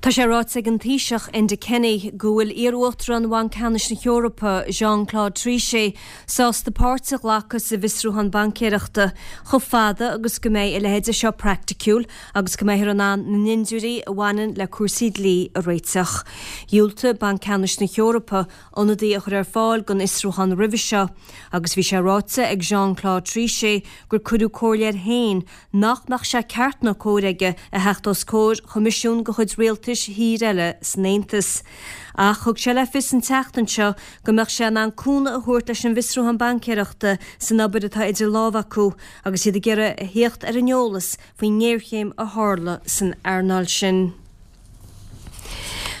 Tá sé ráite ag an Taoiseach, Enda Kenny, go bhfuil iar-Uachtarán Bhanc Ceannais na hEorpa, Jean-Claude Trichet, sásta páirt a ghlacadh sa bhfiosrúchán baincéireachta, chomh fada agus go mbeidh a leithéide seo praiticiúil agus go mbeifear in ann na ndindiúirí a bhaineann le cúrsaí dlí a réiteach. Dhiúltaigh Banc Ceannais na hEorpa ionadaí a chur ar fáil don fhiosrúchán roimhe seo agus bhí sé ráite ag Jean-Claude Trichet gur cuireadh comhairle air féin nach mbeadh sé ceart ná cóir aige a theacht os comhair choimisiún de chuid rialtais thír eile san Aontas. Ach thug sé le fios an tseachtain seo go mbeadh sé in ann cúnamh a thabhairt leis an bhfiosrúchán baincéireachta san obair atá idir lámha acu agus iad ag iarraidh a thíocht ar an eolas faoin ngéarchéim a tharla san earnáil sin.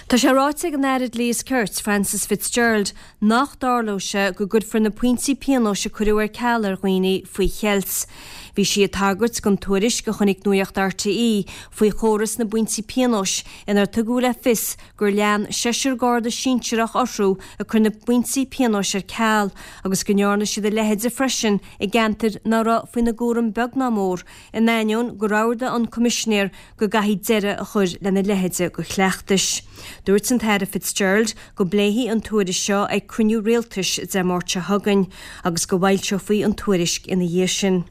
Tá sé ráite ag an Aire Dlí is Cirt, Frances Fitzgerald, nach dtarlóidh sé go gcuirfear na pointí pionóis a cuireadh ar ceal ar dhaoine faoi cheilt. Bhí sí ag tagairt don tuairisc a chonaic Nuacht RTÉ faoi chóras na bpointí pionóis inar tugadh le fios gur lean seisear Garda sinsearach orthu ag cur na bpointí pionóis ar ceal agus go ndearna siad a leithide freisin i gceantair ná raibh faoina gcúram beag ná mór in ainneoin gur ordaigh an Coimisinéir go gcaithfí deireadh a chur lena leithéide de chleachtais. Dúirt an tAire Fitzgerald go bpléifí an tuairisc seo ag cruinniú rialtais Dé Máirt seo chugainn agus go bhfoilseofaí an tuairisc ina dhiaidh sin.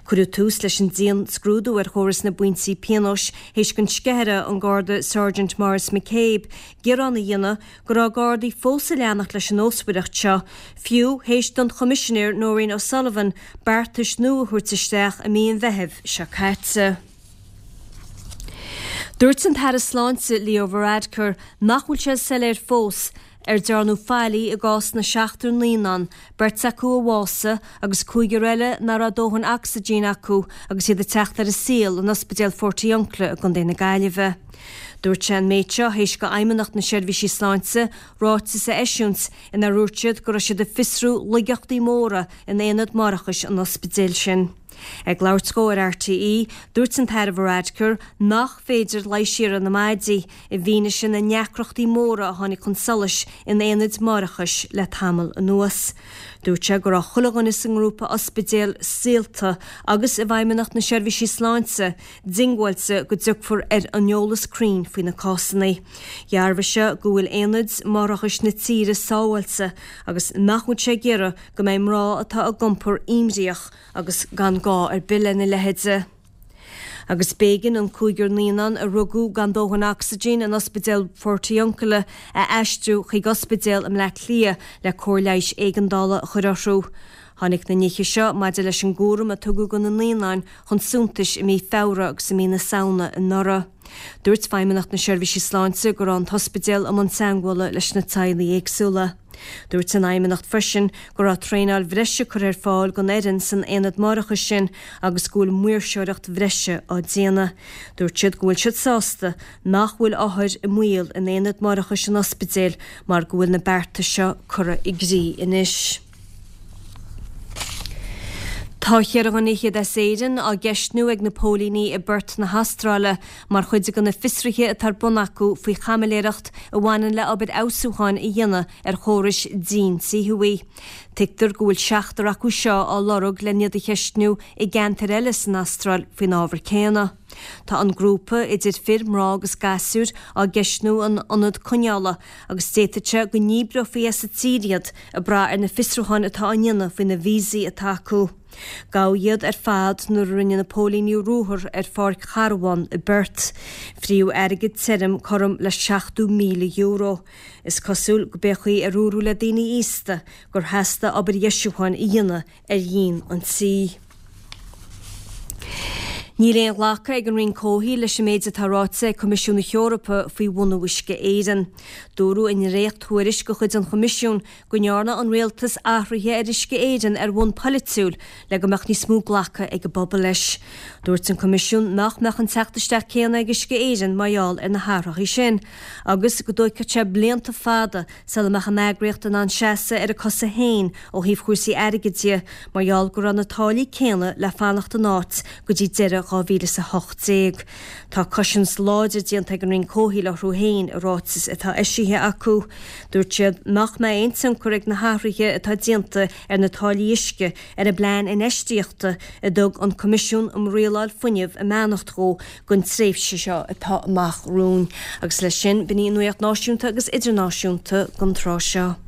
Cuireadh tús leis an dianscrúdú ar chóras na bpointí pionóis théis don sceithire, an Garda Sergeant Maurice McCabe, gearán a dhéanamh go raibh Gardaí fós ag leanacht leis an nósmhaireacht seo, fiú théis don Choimisinéir Nóirín O'Sullivan beartais nua a thabhairt isteach i mí an Mheithimh seo caite. Dúirt an tAire Sláinte Leo Varadkar nach bhfuil sé soiléir fós ar dearnadh faillí i gcás na seachtar naíonán, beirt acu a bhásaigh agus cúigear eile nach raibh dóthain ocsaigín acu agus iad ag teacht ar an saol in Ospidéal Phortiuncula i gContae na Gaillimhe. Dúirt sé an méid seo théis do Fheidhmeannacht na Seirbhísí Sláinte ráiteas a eisiúint inar dhúirt siad go raibh siad ag fiosrú laigeachtaí móra in aonad máithreachais an ospidéil sin. Ag labhairt dhó ar RTÉ, dúirt an tAire Varadkar nach féidir leigheas a iarraidh ar na maidí i bhfianaise na ndeacrachtaí móra a tháinig chun solais in aonaid máithreachais le tamall anuas. Dúirt sé go raibh chuile dhuine sa ngrúpa ospidéal saolta agus i bhFeidhmeannacht na Seirbhísí Sláinte diongbháilte go dtiocfar ar an eolas cruinn faoi na cásanna. Dhearbhaigh sé go bhfuil aonaid máithreachais na tíre sábháilte agus nach bhfuil sé ag iarraidh go mbeidh mná atá ag iompar imníoch agus gan gá ar bith lena leithéide. Agus b'éigean an cúigear naíonán a rugadh gan dóthain ocsaigín in Ospidéal Phortiuncula a aistriú chuig ospidéal i mBleá Cliath le cóir leighis éigeandála a chur orthu. Tháinig na nithe seo maidir leis an gcúram a tugadh do na naíonáin chun suntais i mí Feabhra agus i mí na Samhna anuraidh. Dúirt Feidhmeannacht na Seirbhísí Sláinte go raibh an t-ospidéal i mbun teagmhála leis na teaghlaigh éagsúla. Dúirt an Fheidhmeannacht freisin go raibh traenáil bhreise curtha ar fáil don fhoireann san aonad máithreachais sin agus go bhfuil maoirseoireacht bhreise á déanamh. Dúirt siad go bhfuil siad sásta nach bhfuil othair i mbaol in aonad máithreachais an ospidéil mar go bhfuil na bearta seo curtha i gcrích anois. Tá cheithre dhuine fhichead as Éirinn á gceistniú ag na póilíní i bPerth na hAstráile mar chuid de na fiosruithe atá ar bun acu faoi chaimiléireacht a bhaineann le obair fheabhsúcháin a dhéanamh ar chórais díon tí thuaidh. Tuigtear go bhfuil seachtar acu seo á lorg len iad a cheistniú i gceantair eile san Astráil faoin ábhar céanna. Tá an grúpa, idir fir, mná agus gasúir, á gceistniú in ionad coinneála agus d'fhéadfadh sé go ndíbreofaí as an tír iad ag brath ar na fiosrúcháin atá á ndéanamh faoi na víosaí atá acu. Gabhadh iad ar fad nuair a rinne na póilíní ruathar ar pháirc charbhán i bPerth. Fríodh airgead tirim cothrom le €70,000. Is cosúil go b'é an chaoi ar dúradh le daoine aosta gur theastaigh obair dheisiúcháin a dhéanamh ar dhíon an tí. Níl aon ghlacadh ag an Roinn Comhshaoil leis an méid atá ráite ag Coimisiún na hEorpa faoi bhunú Uisce Éireann. Dúradh i ndréacht-thuairisc de chuid an Choimisiúin go ndearna an Rialtas athruithe ar Uisce Éireann ar bhonn polaitiúil le go mbeadh níos mó glactha ag an bpobal leis. Dúirt an Coimisiún nach mbeadh an teacht isteach céanna ag Uisce Éireann mar gheall ar na hathruithe sin agus go dtóigfeadh sé blianta fada sula mbeadh an eagraíocht in ann seasamh ar a cosa féin ó thaobh chúrsaí airgid de, mar gheall go raibh na táillí céanna le fanacht in áit go dtí deireadh. 2018. Tá cosaint láidir déanta ag an Roinn Comhshaoil orthu féin i ráiteas atá eisithe acu. Dúirt siad nach mbeidh aon tionchar ag na hathruithe atá déanta ar na táillí uisce ar an bplean infheistíochta a dtug an Coimisiún um Rialáil Fuinnimh a mbeannacht dhó don tréimhse seo atá amach romhainn. Agus leis sin, b'in í an nuacht náisiúnta agus idirnáisiúnta don tráth seo.